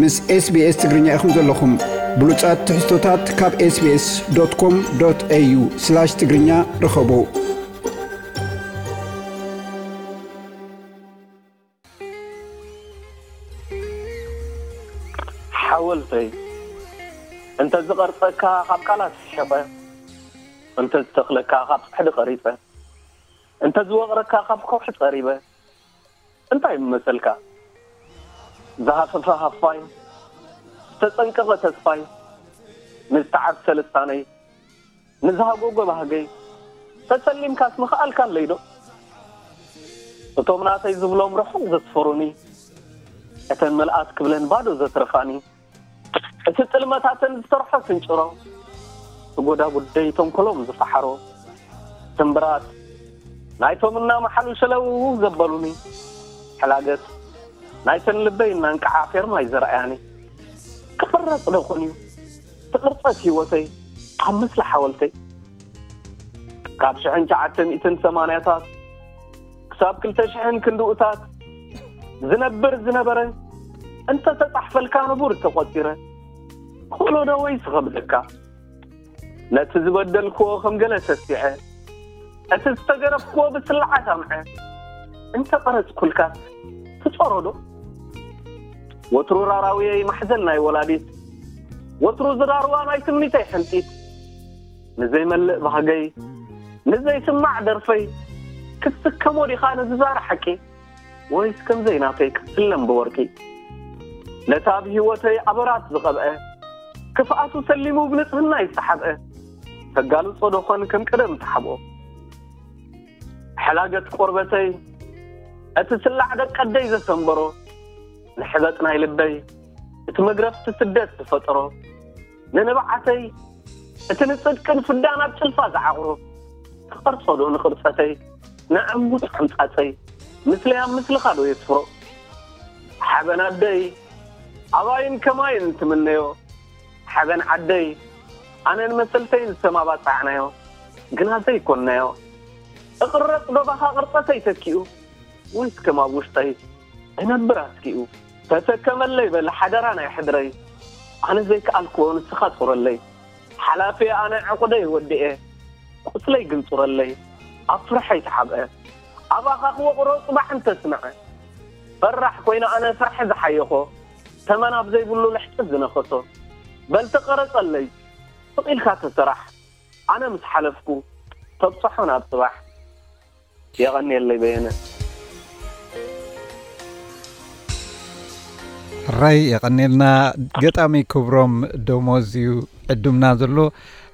ምስ SBS ትግርኛ ኢኹም ዘለኹም። ብሉጻት ትሕዝቶታት ካብ SBS.com.au/ትግርኛ ርኸቡ። ሓወልተይ፣ እንተ ዝቐርጸካ ካብ ቃላት ሒቐ፣ እንተ ዝተኽለካ ካብ ጽሕዲ ቐሪጸ፣ እንተ ዝወቕረካ ካብ ከውሒ ጸሪበ፣ እንታይ ምመሰልካ? ዝሃፈፈ ሃፋይ፣ ዝተጸንቀቐ ተስፋይ፣ ንዝተዓብሰ ልሳነይ፣ ንዝሃጎጎ ባህገይ፣ ተሰሊምካስ ምኽኣልካ ኣለይዶ? እቶም ናተይ ዝብሎም ርሑቕ ዘስፈሩኒ፣ እተን መልኣት ክብለን ባዶ ዘትረፋኒ፣ እቲ ጥልመታተን ዝሰርሖ ስንጭሮ፣ ጎዳጉደይ ተንኮሎም ዝፈሓሮ፣ ስምብራት ናይቶም እናመሓሉ ሸለውው ዘበሉኒ፣ ሕላገት ናይተን ልበይ እናንቅዓ ፌርማይ ዘርኣያኒ፣ ክቕረጽ ዶ ኾን እዩ ትቕርጸት ህይወተይ ኣብ ምስሊ ሓወልተይ? ካብ ሽሕን ትሽዓተ ሚእትን ሰማንያታት ክሳብ ክልተ ሽሕን ክንድኡታት ዝነብር ዝነበረ፣ እንተ ተጻሕፈልካ ንቡር ተቖጺረ፣ ክኽእሎ ዶ ወይስ ይኸብደካ? ነቲ ዝበደልክዎ ከም ገለ ሰሲዐ፣ እቲ ዝተገረፍክዎ ብስላዓት ኣምዐ፣ እንተ ቀረጽኩልካስ ትጾሮ ዶ? ወትሩ ራራውየይ ማሕዘል ናይ ወላዲት፣ ወትሩ ዝራርዋ ናይ ትምኒተይ ሕንጢት፣ ንዘይመልእ ባህገይ፣ ንዘይስማዕ ደርፈይ፣ ክትስከሞ ዲኻ ነዚ ዛር ሓቂ? ወይስ ከም ዘይናተይ ክትስለም ብወርቂ? ነታ ኣብ ህይወተይ ኣበራት ዝቐብአ፣ ክፍኣቱ ሰሊሙ ብንጽህና ይሰሓብአ፣ ተጋልጾ ዶኾን ከም ቀደም ተሓብኦ? ሕላገት ቆርበተይ፣ እቲ ስላዕ ደቀደይ ዘሰንበሮ፣ ንሕበጥ ናይ ልበይ፣ እቲ መግረፍቲ ስደት ዝፈጠሮ፣ ንንብዓተይ፣ እቲ ንጽድቅን ፍዳን ኣብ ጭልፋ ዝዓቑሮ፣ ክቐርጾ ዶ ንቕርጸተይ፣ ንዕሙት ሓምጻጸይ፣ ምስለይ ኣብ ምስልኻ ዶ የስፍሮ? ሓበን ኣደይ፣ ኣባይን ከማይን ትምነዮ፣ ሓበን ዓደይ፣ ኣነን መሰልተይን ዝተማባጻዕናዮ፣ ግና ዘይኮንናዮ። እቕረጽ ዶ ባኻ ቅርጸተይ ተኪኡ፣ ወይስ ከም ኣብ ውሽጠይ እነብር ኣስኪኡ? ተሰከመለይ በል ሓደራ ናይ ሕድረይ፣ ኣነ ዘይከኣልክዎ ንስኻ ጹረለይ። ሓላፊ ኣነ ዕቑደይ ወዲኤ፣ ቁስለይ ግን ጹረለይ፣ ኣብ ፍርሐይ ተሓብአ። ኣባኻ ክወቕሮ ጽባሕ እንተስምዐ፣ ፈራሕ ኮይነ ኣነ ፍርሒ ዝሓየኾ፣ ተመን ኣብ ዘይብሉ ልሕጺ ዝነኸሶ። በል ተቐረጸለይ፣ ስቕ ኢልካ ተሰራሕ፣ ኣነ ምስ ሓለፍኩ፣ ተብጽሖ ናብ ጽባሕ። የቐንየለይ በየነ። ሕራይ የቐንየልና። ገጣሚ ክብሮም ደሞዝ እዩ ዕዱምና ዘሎ።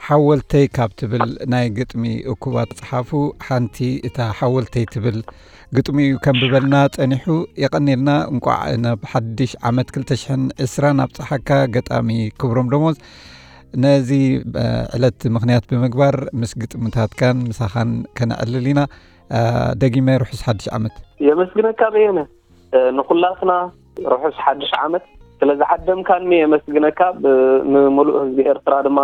ሓወልተይ ካብ ትብል ናይ ግጥሚ እኩባት ጸሓፉ ሓንቲ እታ ሓወልተይ ትብል ግጥሚ እዩ ከንብበልና ጸኒሑ። የቐንየልና። እንቋዕ ናብ ሓድሽ ዓመት ክልተ ሽሕን ዕስራን ኣብጽሓካ ገጣሚ ክብሮም ደሞዝ። ነዚ ዕለት ምኽንያት ብምግባር ምስ ግጥምታትካን ምሳኻን ከነዕልል ኢና። ደጊመ ርሑስ ሓድሽ ዓመት። የመስግነካ በየነ። ንኹላትና ርሑስ ሓድሽ ዓመት። ስለ ዝዓደምካኒ የመስግነካ። ብ- ንምሉእ ህዝቢ ኤርትራ ድማ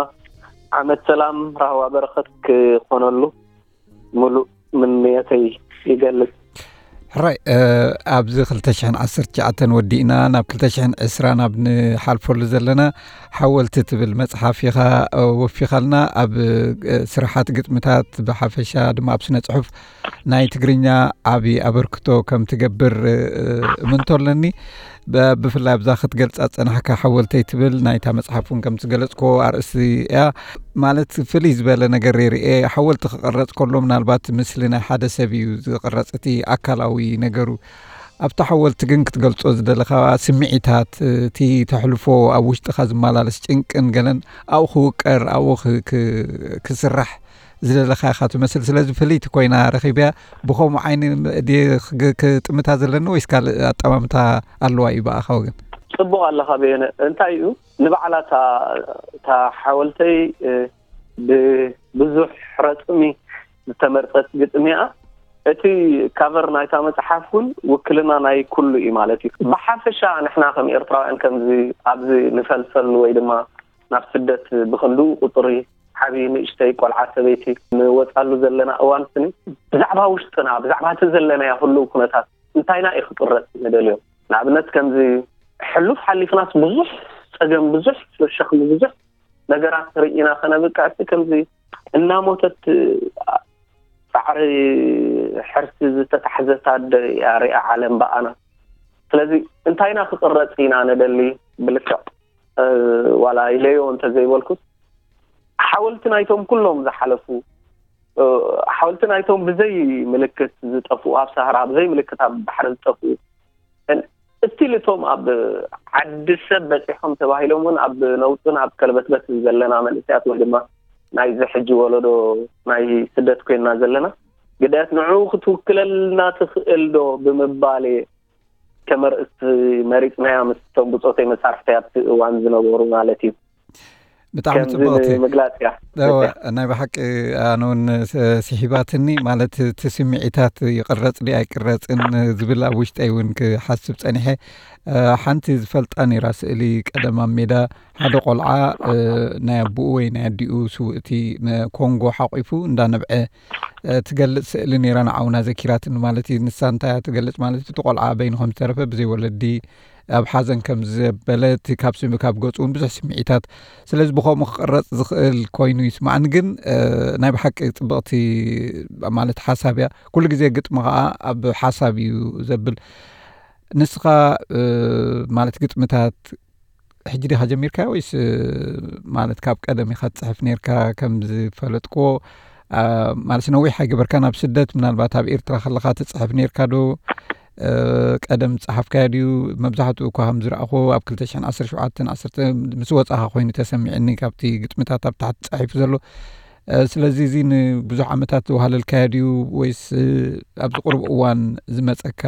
ዓመት ሰላም፣ ራህዋ፣ በረኸት ክኾነሉ ምሉእ ምንየተይ ይገልጽ። ሕራይ ኣብዚ ክልተ ሽሕን ዓሰርተ ትሽዓተን ወዲእና ናብ ክልተ ሽሕን ዕስራን ኣብ ንሓልፈሉ ዘለና ሓወልቲ ትብል መጽሓፍ ኢኻ ወፊኻልና። ኣብ ስራሓት ግጥምታት ብሓፈሻ ድማ ኣብ ስነ ጽሑፍ ናይ ትግርኛ ዓቢ ኣበርክቶ ከም ትገብር እምንቶ ኣለኒ። ብፍላይ ኣብዛ ክትገልጻ ዝጸናሕካ ሓወልተይ ትብል ናይታ መጽሓፍ እውን ከም ዝገለጽክዎ ኣርእስቲ እያ። ማለት ፍልይ ዝበለ ነገር ይርኤ። ሓወልቲ ክቕረጽ ከሎ ምናልባት ምስሊ ናይ ሓደ ሰብ እዩ ዝቕረጽ፣ እቲ ኣካላዊ ነገሩ። ኣብቲ ሓወልቲ ግን ክትገልጾ ዝደለኻ ስምዒታት፣ እቲ ተሕልፎ ኣብ ውሽጥኻ ዝመላለስ ጭንቅን ገለን ኣብኡ ክውቀር፣ ኣብኡ ክስራሕ ዝደለኻ ኢኻ ትመስል። ስለዚ ፍልይቲ ኮይና ረኺብያ። ብኸምኡ ዓይኒ ድየ ክጥምታ ዘለኒ ወይስ ካልእ ኣጠማምታ ኣለዋ እዩ ብኣኻ ወገን? ጽቡቕ ኣለኻ በየነ። እንታይ እዩ ንባዕላ እታ ሓወልተይ ብብዙሕ ረጽሚ ዝተመርጸት ግጥሚ እያ። እቲ ካቨር ናይታ መጽሓፍ እውን ውክልና ናይ ኩሉ እዩ ማለት እዩ። ብሓፈሻ ንሕና ከም ኤርትራውያን ከምዚ ኣብዚ ንፈልፈሉ ወይ ድማ ናብ ስደት ብኽንድኡ ቁጽሪ ዓብዪ ንእሽተይ ቆልዓ ሰበይቲ ንወጻሉ ዘለና እዋን ስኒ ብዛዕባ ውሽጥና ብዛዕባ እቲ ዘለናዮ ህልው ኩነታት እንታይና እዩ ክጥረጽ ንደልዮ። ንኣብነት ከምዚ ሕሉፍ ሓሊፍናስ ብዙሕ ጸገም፣ ብዙሕ ሸኽሚ፣ ብዙሕ ነገራት ርኢና ከነብቅዕሲ ከምዚ እናሞተት ጻዕሪ ሕርሲ ዝተታሕዘት ኣደ እያ ሪኣ ዓለም ብኣና። ስለዚ እንታይ ኢና ክቕረጽ ኢና ንደሊ? ብልክዕ ዋላ ኢለዮ እንተዘይበልኩስ ሓወልቲ ናይቶም ኩሎም ዝሓለፉ፣ ሓወልቲ ናይቶም ብዘይ ምልክት ዝጠፍኡ፣ ኣብ ሳህራ ብዘይ ምልክት ኣብ ባሕሪ ዝጠፍኡ፣ እስቲል እቶም ኣብ ዓዲ ሰብ በፂሖም ተባሂሎም እውን ኣብ ነውፅን ኣብ ከለበትበትን ዘለና መንእሰያት ወይ ድማ ናይዚ ሕጂ ወለዶ ናይ ስደት ኮይንና ዘለና ግዳያት ንዕኡ ክትውክለልና ትኽእል ዶ ብምባል ከመርእስ መሪፅናያ ምስቶም ብፆተይ መሳርሕተይ ኣብቲ እዋን ዝነበሩ ማለት እዩ። ብጣዕሚ ጽብቕቲ። ምግላጽ እያ። ናይ ብሓቂ ኣነ እውን ስሒባትኒ፣ ማለት እቲ ስምዒታት ይቅረጽ ድዩ ኣይቅረጽን ዝብል ኣብ ውሽጠይ እውን ክሓስብ ጸኒሐ። ሓንቲ ዝፈልጣ ነይራ ስእሊ ቀደም ኣብ ሜዳ ሓደ ቆልዓ ናይ ኣቦኡ ወይ ናይ ኣዲኡ ስውእቲ ኮንጎ ሓቂፉ እንዳነብዐ ትገልጽ ስእሊ ነይራ፣ ንዓውና ዘኪራትኒ ማለት እዩ። ንሳ እንታይ እያ ትገልጽ ማለት እዩ? እቲ ቆልዓ በይኑ ከም ዝተረፈ ብዘይ ወለዲ ኣብ ሓዘን ከም ዘበለ እቲ ካብ ስሚ ካብ ገጹ እውን ብዙሕ ስምዒታት፣ ስለዚ ብኸምኡ ክቕረጽ ዝኽእል ኮይኑ ይስማዕኒ። ግን ናይ ብሓቂ ጽብቕቲ ማለት ሓሳብ እያ። ኩሉ ግዜ ግጥሚ ከዓ ኣብ ሓሳብ እዩ ዘብል። ንስኻ ማለት ግጥምታት ሕጂ ዲኻ ጀሚርካ ወይስ ማለት ካብ ቀደም ኢኻ ትጽሕፍ ነርካ? ከም ዝፈለጥክዎ ማለት ነዊሕ ኣይገበርካን ኣብ ስደት፣ ምናልባት ኣብ ኤርትራ ከለኻ ትጽሕፍ ነርካ ዶ? ቀደም ጸሓፍካዮ ድዩ? መብዛሕትኡ እኳ ከም ዝረኣኹ ኣብ ክልተ ሽሕን ዓሰርተ ሸውዓተን ዓሰርተ ምስ ወጻኻ ኮይኑ ተሰሚዕኒ፣ ካብቲ ግጥምታት ኣብ ታሕቲ ጸሒፉ ዘሎ። ስለዚ እዚ ንብዙሕ ዓመታት ዝወሃለልካዮ ድዩ ወይስ ኣብዚ ቁሩብ እዋን ዝመጸካ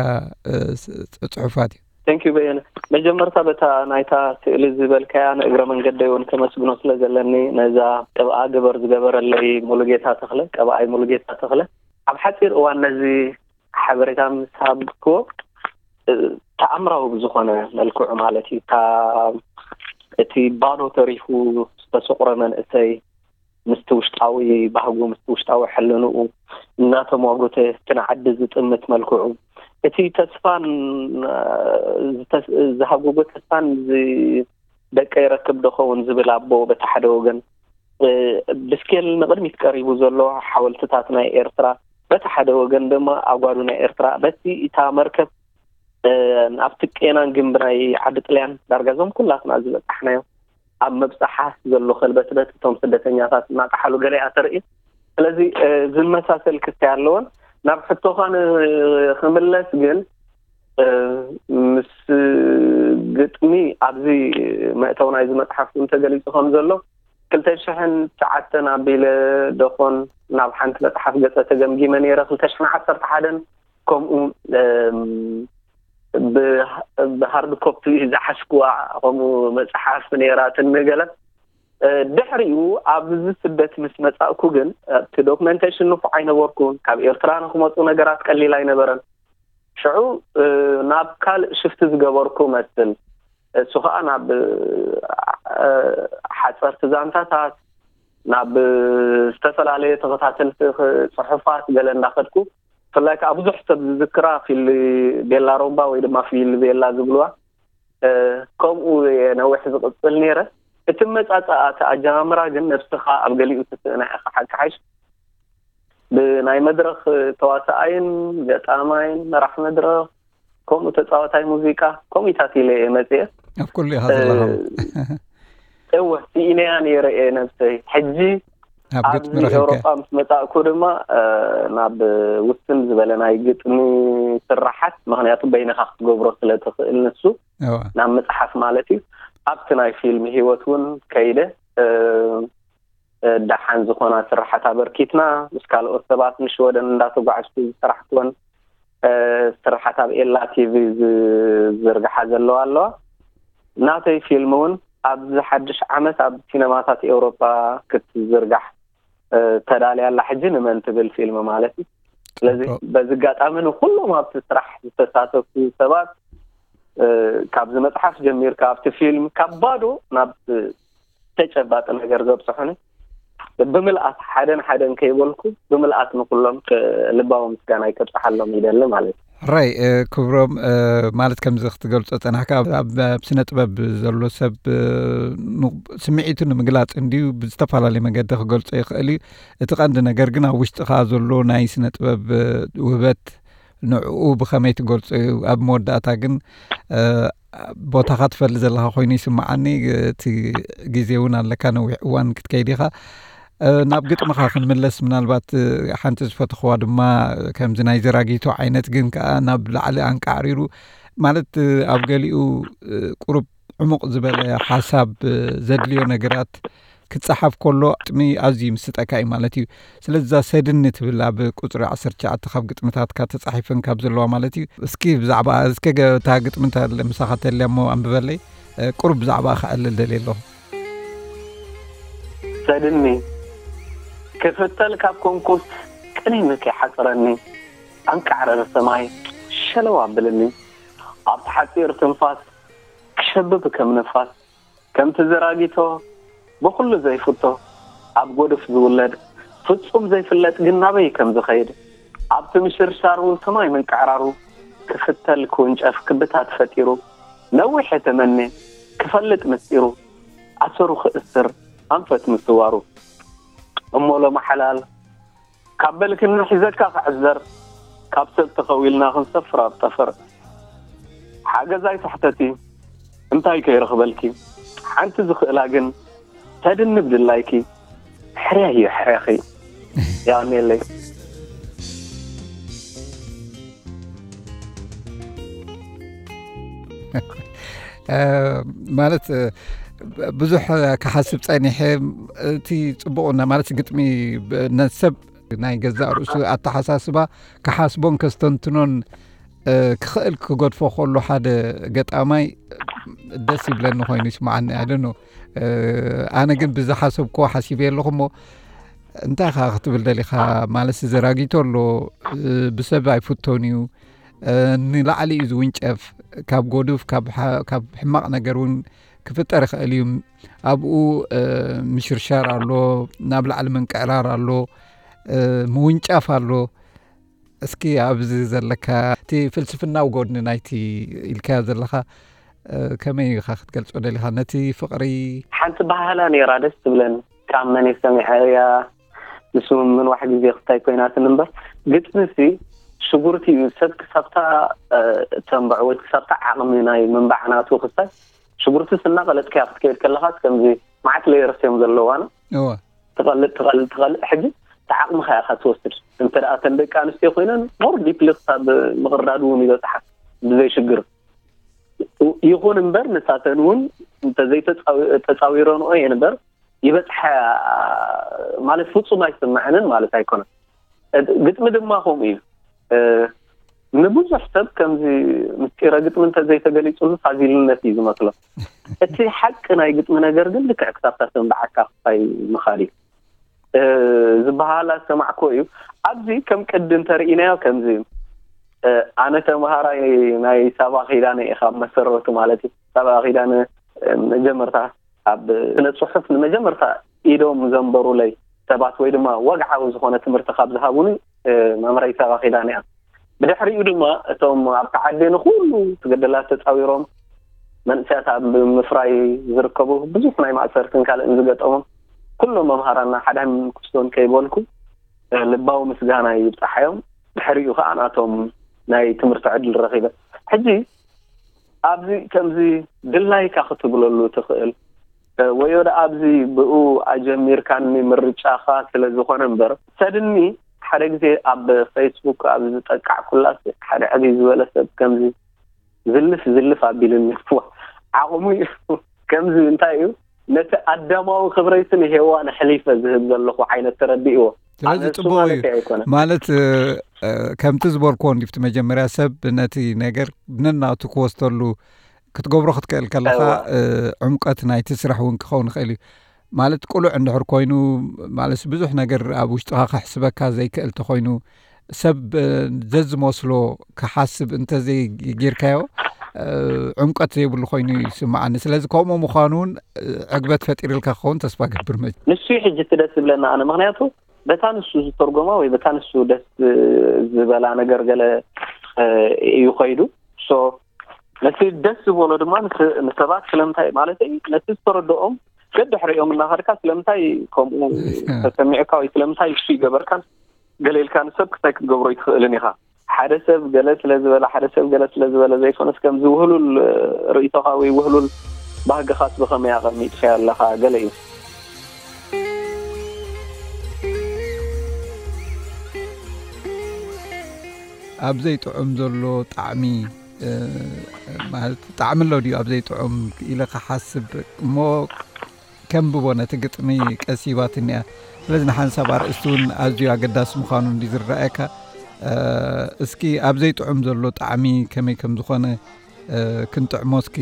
ጽሑፋት እዩ? Thank you በየነ። መጀመርታ በታ ናይታ ስእሊ ዝበልካያ ንእግረ መንገደይ እውን ከመስግኖ ስለ ዘለኒ ነዛ ቅብኣ ግበር ዝገበረለይ ሙሉጌታ ተኽለ፣ ቀብኣይ ሙሉጌታ ተኽለ፣ ኣብ ሓፂር እዋን ነዚ ሓበሬታ ምስ ሃብክዎ ተኣምራዊ ብዝኾነ መልክዑ ማለት እዩ። እቲ ባዶ ተሪፉ ዝተሰቑረ መንእሰይ ምስቲ ውሽጣዊ ባህጉ ምስቲ ውሽጣዊ ሕልንኡ እናተሟጎተ እቲ ንዓዲ ዝጥምት መልክዑ እቲ ተስፋን ዝሃጎጎ ተስፋን ደቀ ይረክብ ዶ ኸውን ዝብል ኣቦ በቲ ሓደ ወገን ብስኬል ንቕድሚት ቀሪቡ ዘሎ ሓወልትታት ናይ ኤርትራ በቲ ሓደ ወገን ድማ ኣጓዱ ናይ ኤርትራ በቲ እታ መርከብ ኣብቲ ቄናን ግንቢ ናይ ዓዲ ጥልያን ዳርጋ እዞም ኩላትና ዝበጻሕናዮም ኣብ መብጻሓ ዘሎ ከልበትበት እቶም ስደተኛታት እናጠሓሉ ገለ እያ ተርኢ። ስለዚ ዝመሳሰል ክስታይ ኣለዎን ናብ ሕቶኻ ክምለስ ግን ምስ ግጥሚ ኣብዚ መእተው ናይዚ መፅሓፍ እውን ተገሊፁ ከም ዘሎ ክልተ ሽሕን ትሽዓተን ኣቢለ ደኾን ናብ ሓንቲ መፅሓፍ ገፀ ተገምጊመ ነይረ ክልተ ሽሕን ዓሰርተ ሓደን ከምኡ ብሃርድ ኮፒ ዝሓዝኩዋ ከምኡ መፅሓፍ ነይራትኒ ገለ ድሕሪኡ ኣብዚ ስደት ምስ መፃእኩ ግን እቲ ዶክመንቴሽን ንፉዕ ኣይነበርኩን ካብ ኤርትራ ንክመፁ ነገራት ቀሊል ኣይነበረን ሽዑ ናብ ካልእ ሽፍቲ ዝገበርኩ መስል እሱ ከዓ ናብ ሓፀርቲ ዛንታታት ናብ ዝተፈላለየ ተኸታተልቲ ፅሑፋት ገለ እንዳኸድኩ ብፍላይ ከዓ ብዙሕ ሰብ ዝዝክራ ፊል ቤላ ሮምባ ወይ ድማ ፊል ቤላ ዝብልዋ ከምኡ ነዊሕ ዝቕፅል ነይረ እቲ መፃፃኣ እቲ ኣጀማምራ ግን ነብስኻ ኣብ ገሊኡ ትስእና ኢኻ ሓቂ ሓይሽ ብናይ መድረኽ ተዋሳኣይን ገጣማይን መራሕ መድረኽ ከምኡ ተፃዋታይ ሙዚቃ ከምኡታት ኢለ እየ መፅየ ኣብ ኩሉ ኢኻ ዘለኻ እወ ስኢነያ ነይረ እየ ነብሰይ ሕጂ ኣብዚ ኤውሮጳ ምስ መፃእኩ ድማ ናብ ውስን ዝበለ ናይ ግጥሚ ስራሓት ምክንያቱ በይንኻ ክትገብሮ ስለትኽእል ንሱ ናብ መፅሓፍ ማለት እዩ ኣብቲ ናይ ፊልም ሂወት እውን ከይደ ደሓን ዝኾና ስራሓት ኣበርኪትና ምስ ካልኦት ሰባት ንሽወደን እንዳተጓዕዝኩ ዝሰራሕክወን ስራሓት ኣብ ኤላ ቲቪ ዝዝርግሓ ዘለዋ ኣለዋ ናተይ ፊልም እውን ኣብዚ ሓድሽ ዓመት ኣብ ሲነማታት ኤውሮጳ ክትዝርጋሕ ተዳልያ ኣላ ሕጂ ንመን ትብል ፊልም ማለት እዩ ስለዚ በዚ ኣጋጣሚ ንኩሎም ኣብቲ ስራሕ ዝተሳተፉ ሰባት ካብዚ መፅሓፍ ጀሚርካ ኣብቲ ፊልም ካብ ባዶ ናብ ተጨባጢ ነገር ዘብፅሑኒ ብምልኣት ሓደን ሓደን ከይበልኩ ብምልኣት ንኩሎም ልባዊ ምስጋናይ ከብፅሓሎም ይደሊ ማለት እዩ ሕራይ ክብሮም፣ ማለት ከምዚ ክትገልጾ ጸናሕካ፣ ኣብ ስነ ጥበብ ዘሎ ሰብ ስምዒቱ ንምግላጽ እንድዩ ብዝተፈላለየ መገዲ ክገልጾ ይኽእል እዩ። እቲ ቀንዲ ነገር ግን ኣብ ውሽጥኻ ዘሎ ናይ ስነ ጥበብ ውህበት ንዕኡ ብኸመይ ትገልጾ እዩ። ኣብ መወዳእታ ግን ቦታኻ ትፈሊ ዘለኻ ኮይኑ ይስምዓኒ። እቲ ግዜ እውን ኣለካ፣ ነዊሕ እዋን ክትከይድ ኢኻ። ናብ ግጥምኻ ክንምለስ፣ ምናልባት ሓንቲ ዝፈተኽዋ ድማ ከምዚ ናይ ዘራጊቶ ዓይነት ግን ከኣ ናብ ላዕሊ ኣንቃዕሪሩ፣ ማለት ኣብ ገሊኡ ቁሩብ ዕሙቕ ዝበለ ሓሳብ ዘድልዮ ነገራት ክጸሓፍ ከሎ ግጥሚ ኣዝዩ ይምስጠካ እዩ ማለት እዩ። ስለዚ እዛ ሰድኒ ትብል ኣብ ቁጽሪ ዓሰርተ ትሽዓተ ካብ ግጥምታትካ ተጻሒፈን ካብ ዘለዋ ማለት እዩ። እስኪ ብዛዕባ፣ እስኪ ገ-፣ እታ ግጥሚ እንተ ምሳኻ ተልያ እሞ ኣንብበለይ። ቁሩብ ብዛዕባ ከዕልል ደልየ ኣለኹ። ሰድኒ ክፍተል ካብ ኮንኩስ ቅኒኒ ከይሓጽረኒ ኣንቃዕረር ሰማይ ሸለው ኣብልኒ ኣብቲ ሓጺር ትንፋስ ክሸብብ ከም ንፋስ ከምቲ ዘራጊቶ ብኹሉ ዘይፍቶ ኣብ ጎድፍ ዝውለድ ፍጹም ዘይፍለጥ ግን ናበይ ከም ዝኸይድ ኣብቲ ምሽርሻሩ ሰማይ ምንቅዕራሩ ክፍተል ክውንጨፍ ክብታት ፈጢሩ ነዊሕ የተመነ ክፈልጥ ምስጢሩ ኣሰሩ ክእስር ኣንፈት ምስዋሩ እሞ ሎማ ሓላል ካብ በልክና ሒዘካ ክዕዘር ካብ ሰብ ተኸዊልና ክንሰፍር ኣብ ጠፈር ሓገዛይ ታሕተቲ እንታይ ከይረኽበልኪ ሓንቲ ዝኽእላ ግን ተድንብ ድላይኪ ሕርያዮ ሕርያኺ ያኔለይ ማለት ብዙሕ ክሓስብ ጸኒሐ። እቲ ጽቡቕና ማለት ግጥሚ ነሰብ ናይ ገዛእ ርእሱ ኣተሓሳስባ ክሓስቦን ከስተንትኖን ክኽእል ክገድፎ ከሎ ሓደ ገጣማይ ደስ ይብለኒ ኮይኑ ይስምዓኒ። ኣደኖ ኣነ ግን ብዝሓሰብክዎ ሓሲበ ኣለኹ እሞ እንታይ ኻ ክትብል ደሊኻ? ማለት ዘራጊቶ ኣሎ፣ ብሰብ ኣይፍቶን እዩ፣ ንላዕሊ እዩ ዝውንጨፍ፣ ካብ ጎዱፍ ካብ ሕማቕ ነገር እውን ክፍጠር ይኽእል እዩ። ኣብኡ ምሽርሻር ኣሎ፣ ናብ ላዕሊ ምንቅዕራር ኣሎ፣ ምውንጫፍ ኣሎ። እስኪ ኣብዚ ዘለካ እቲ ፍልስፍናዊ ጎድኒ ናይቲ ኢልካዮ ዘለኻ ከመይ ኢኻ ክትገልጾ ደሊኻ ነቲ ፍቕሪ? ሓንቲ ባህላ ነይራ ደስ ትብለኒ ካብ መን ሰሚዐ እያ ንስምምንዋሕ ግዜ ክስታይ ኮይናትን እምበር ግጥሚ ሲ ሽጉርቲ እዩ ሰብ ክሳብታ ተንብዖ ወይ ክሳብታ ዓቕሚ ናይ ምንባዕ ናቱ ክስታይ ሽጉርቲ ስና ቀለጥካያ ክትከይድ ከለኻስ ከምዚ መዓት ሌየርስ እዮም ዘለዋና እወ ትቐልጥ ትቐልጥ ትቐልጥ ሕጂ ተዓቕምኻ ኢኻ ትወስድ እንተ ደኣ ተን ደቂ ኣንስትዮ ኮይነን ሞር ዲፕሊ ክሳብ ምቕርዳድ እውን ይበፅሓ ብዘይ ሽግር ይኹን እምበር ንሳተን እውን እንተዘይተፃዊረንኦ እየን እምበር ይበፅሓ ማለት ፍፁም ኣይስምዐንን ማለት ኣይኮነን ግጥሚ ድማ ከምኡ እዩ ንብዙሕ ሰብ ከምዚ ምስጢረ ግጥሚ እንተዘይተገሊፁሉ ፋዚልነት እዩ ዝመስሎ እቲ ሓቂ ናይ ግጥሚ ነገር ግን ልክዕ ክሳብታ ተንበዓካ ክፋይ ምኻድ እዩ ዝበሃል ኣሰማዕኮ እዩ ኣብዚ ከም ቅዲ እንተርኢናዮ ከምዚ እዩ ኣነ ተምሃራይ ናይ ሳባ ኪዳነ እየ ካብ መሰረቱ ማለት እዩ ሳባ ኪዳነ መጀመርታ ኣብ ስነ ፅሑፍ ንመጀመርታ ኢዶም ዘንበሩለይ ሰባት ወይ ድማ ወግዓዊ ዝኾነ ትምህርቲ ካብ ዝሃቡኒ መምህረይ ሳባ ኪዳነ እያ ብድሕሪኡ ድማ እቶም ኣብቲ ዓዲ ንኩሉ ትግድላት ተፃዊሮም መንእሰያት ኣብ ምፍራይ ዝርከቡ ብዙሕ ናይ ማእሰርትን ካልእን ዝገጠሞም ኩሎም መምሃራና ሓድሕን ክስቶን ከይበልኩ ልባዊ ምስጋና ይብፃሓዮም ድሕሪኡ ከዓ ናቶም ናይ ትምህርቲ ዕድል ረኪበ ሕጂ ኣብዚ ከምዚ ድላይካ ክትብለሉ ትኽእል ወዮ ደኣ ኣብዚ ብኡ ኣጀሚርካኒ ምርጫኻ ስለ ዝኾነ እምበር ሰድኒ ሓደ ግዜ ኣብ ፌስቡክ ኣብ ዝጠቃዕኩላስ ሓደ ዕብይ ዝበለ ሰብ ከምዚ ዝልፍ ዝልፍ ኣቢሉኒ ዓቕሙ እዩ ከምዚ እንታይ እዩ ነቲ ኣዳማዊ ክብረይሲ ንሄዋን ኣሕሊፈ ዝህብ ዘለኹ ዓይነት ተረዲእዎ ስለዚ ኣነ እሱ ጽቡቕ ማለት እዩ። ኣይኮነን ማለት እ፣ እ፣ ከምቲ ዝበልክዎ እንዲፍቲ መጀመርያ ሰብ ነቲ ነገር ነናቱ ክወስተሉ ክትገብሮ ክትክእል ከለኻ እዋ እ፣ ዕምቀት ናይቲ ስራሕ እውን ክኸውን ይኽእል እዩ ማለት ቁሉዕ እንድሕር ኮይኑ ማለት ብዙሕ ነገር ኣብ ውሽጥኻ ከሕስበካ ዘይክእል ተኾይኑ ሰብ ዘዝመስሎ ክሓስብ እንተዘይጌርካዮ ዕምቀት ዘይብሉ ኮይኑ ይስምዓኒ። ስለዚ ከምኡ ምዃኑ እውን ዕግበት ፈጢርልካ ክኸውን ተስፋ ገብር። መ ንሱ እዩ ሕጂ እቲ ደስ ዝብለና ኣነ፣ ምኽንያቱ በታ ንሱ ዝተርጎማ ወይ በታ ንሱ ደስ ዝበላ ነገር ገለ እዩ ከይዱ። So ነቲ ደስ ዝበሎ ድማ ንሰ- ንሰባት ስለምንታይ ማለት እዩ ነቲ ዝተረድኦም ደድሕሪኦም እናኸድካ ስለምንታይ ከምኡ ተሰሚዕካ ወይ ስለምንታይ እሱ ይገበርካን ገለ ኢልካ ንሰብ ክታይ ክትገብሮ ይትኽእልን ኢኻ። ሓደ ሰብ ገለ ስለ ዝበለ ሓደ ሰብ ገለ ስለ ዝበለ ዘይኮነስ ከምዚ ውህሉል ርእይቶኻ ወይ ውህሉል ባህግኻስ ብኸመይ ኣቐሚጥካዮ ኣለኻ ገለ እዩ። ኣብ ዘይጥዑም ዘሎ ጣዕሚ ማለት ጣዕሚ ኣሎ ድዩ ኣብ ዘይጥዑም ኢለ ክሓስብ እሞ ከንብቦ ነቲ ግጥሚ ቀሲባትኒ እያ። ስለዚ ንሓንሳብ ኣርእስቲ እውን ኣዝዩ ኣገዳሲ ምዃኑ እንዲ ዝረኣየካ እስኪ ኣብ ዘይጥዑም ዘሎ ጣዕሚ ከመይ ከም ዝኾነ ክንጥዕሞ እስኪ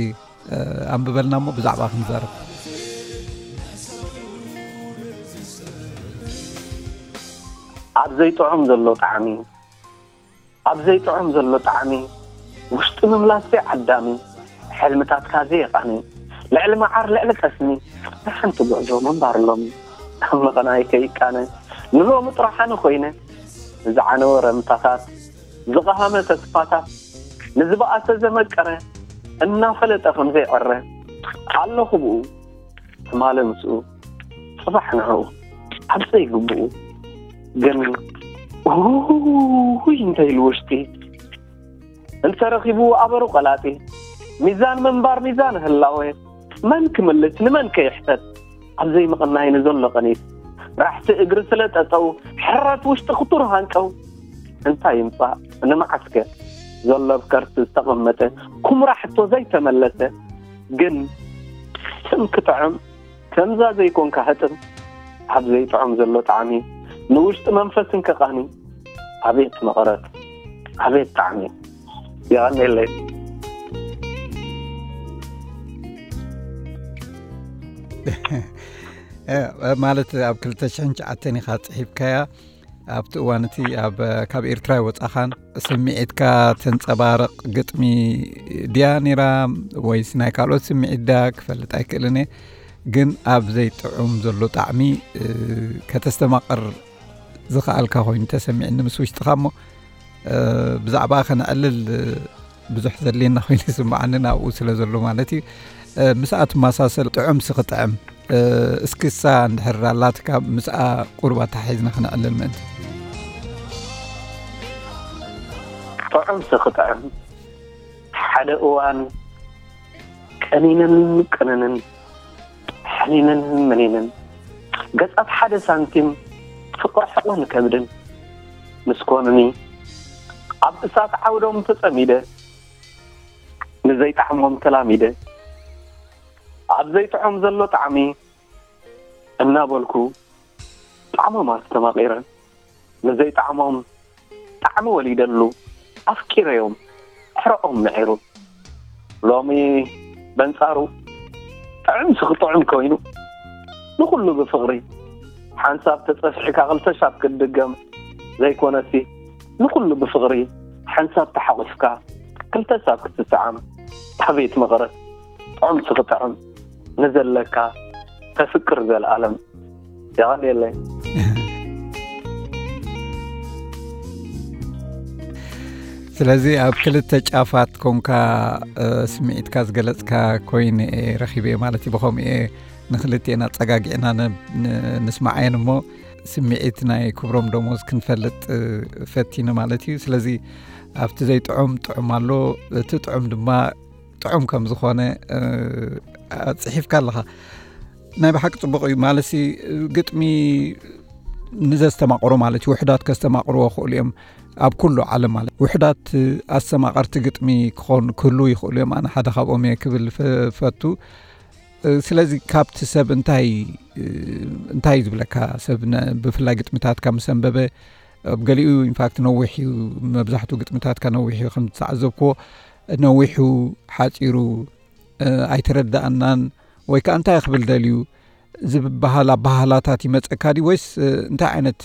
ኣንብበልና እሞ ብዛዕባ ክንዛረብ። ኣብ ዘይጥዑም ዘሎ ጣዕሚ ኣብ ዘይጥዑም ዘሎ ጣዕሚ ውሽጢ ምምላስ ዘይዓዳሚ ሕልምታትካ ዘየቃኒ ልዕሊ መዓር ልዕሊ ጠስሚ ንሓንቲ ጉዕዞ ምንባር ሎሚ ካብ መቐናይ ከይቃነ ንሎሚ ጥራሕ ኣነ ኮይነ ንዝዓነወ ረምታታት ዝቐሃመ ተስፋታት ንዝበኣሰ ዘመቀረ እናፈለጠ ከም ዘይዕረ ኣለኹ ብኡ ትማሊ ምስኡ ጽባሕ ንዕኡ ኣብ ዘይግብኡ ግን ውይ እንተ ኢሉ ውሽጢ እንተ ረኺቡ ኣበሩ ቀላጢ ሚዛን ምንባር ሚዛን ህላወ መን ክምልስ ንመን ከይሕተት ኣብ ዘይምቕናይ ንዘሎ ቀኒት ራሕቲ እግሪ ስለ ጠጠው ሕረት ውሽጢ ክቱር ሃንቀው እንታይ ይምጻእ ንመዓስከ ዘሎ ኣብ ከርሲ ዝተቐመጠ ኩምራ ሕቶ ዘይተመለሰ ግን ስም ክጥዕም ከምዛ ዘይኮንካ ህጥም ኣብ ዘይጥዖም ዘሎ ጣዕሚ ንውሽጢ መንፈስን ከቃኒ ኣቤት መቐረት ኣቤት ጣዕሚ የቐኔለይ። ማለት ኣብ ክልተ ሽሕን ትሽዓተን ኢኻ ጽሒፍካያ። ኣብቲ እዋን እቲ ኣብ ካብ ኤርትራ ይወጻኻን ስምዒትካ ተንጸባርቕ ግጥሚ ድያ ነይራ ወይስ ናይ ካልኦት ስምዒት ድያ ክፈልጥ ኣይክእልን እየ። ግን ኣብ ዘይጥዑም ዘሎ ጣዕሚ ከተስተማቕር ዝኸኣልካ ኮይኑ ተሰሚዕኒ ምስ ውሽጥኻ እሞ ብዛዕባ ከነዕልል ብዙሕ ዘድልየና ኮይኑ ይስምዓኒ ናብኡ ስለ ዘሎ ማለት እዩ። ምስኣ ትመሳሰል ጥዑም ስኽጥዕም እስክሳ እንድሕር ኣላትካ ምስኣ ቁሩብ ኣተሓሒዝና ክነዕልል ምእንቲ። ጥዑም ስኽጥዕም ሓደ እዋን ቀኒንን ቅንንን ሕኒንን ምኒንን ገጻት ሓደ ሳንቲም ፍቕሪ ሕቕን ከብድን ምስ ኮኑኒ ኣብ እሳት ዓውዶም ተጸሚደ ንዘይጣዕሞም ተላሚደ ኣብ ዘይጥዖም ዘሎ ጣዕሚ እናበልኩ ጣዕሞም ኣስተማቒረ ንዘይጣዕሞም ጣዕሚ ወሊደሉ ኣፍቂረዮም ሕረኦም ምዒሩ ሎሚ በንጻሩ ጥዕምሲ ክጥዑም ኮይኑ ንኹሉ ብፍቕሪ ሓንሳብ ተጸፍሒካ ክልተ ሻብ ክትድገም ዘይኮነሲ ንኹሉ ብፍቕሪ ሓንሳብ ተሓቑፍካ ክልተ ሳብ ክትስዓም ኣቤት መቐረት ጥዑምሲ ክጥዕም ንዘለካ ተፍቅር ዘልኣለም የቐንየለይ። ስለዚ ኣብ ክልተ ጫፋት ኮንካ ስምዒትካ ዝገለጽካ ኮይኑ ረኺበ ማለት እዩ። ብኸምኡ ንክልቲኤን ኣጸጋጊዕና ንስማዓየን እሞ ስምዒት ናይ ክብሮም ደሞዝ ክንፈልጥ ፈቲነ ማለት እዩ። ስለዚ ኣብቲ ዘይጥዑም ጥዑም ኣሎ፣ እቲ ጥዑም ድማ ጥዑም ከም ዝኾነ ጽሒፍካ ኣለኻ። ናይ ብሓቂ ጽቡቕ እዩ። ማለሲ ግጥሚ ንዘስተማቕሮ ማለት እዩ። ውሕዳት ከስተማቕርዎ ክእሉ እዮም። ኣብ ኩሉ ዓለም ማለት ውሕዳት ኣስተማቐርቲ ግጥሚ ክኾን ክህሉ ይኽእሉ እዮም። ኣነ ሓደ ካብኦም እየ ክብል ፈቱ። ስለዚ ካብቲ ሰብ እንታይ እንታይ ዝብለካ ሰብ ብፍላይ ግጥምታትካ ምስ ኣንበበ ኣብ ገሊኡ ኢንፋክት ነዊሕ እዩ፣ መብዛሕትኡ ግጥምታትካ ነዊሕ እዩ ከም ዝተዓዘብክዎ ነዊሑ ሓፂሩ ኣይተረዳእናን ወይ ከዓ እንታይ ክብል ደልዩ ዝበሃል ኣባህላታት ይመፀካ ድዩ ወይስ እንታይ ዓይነት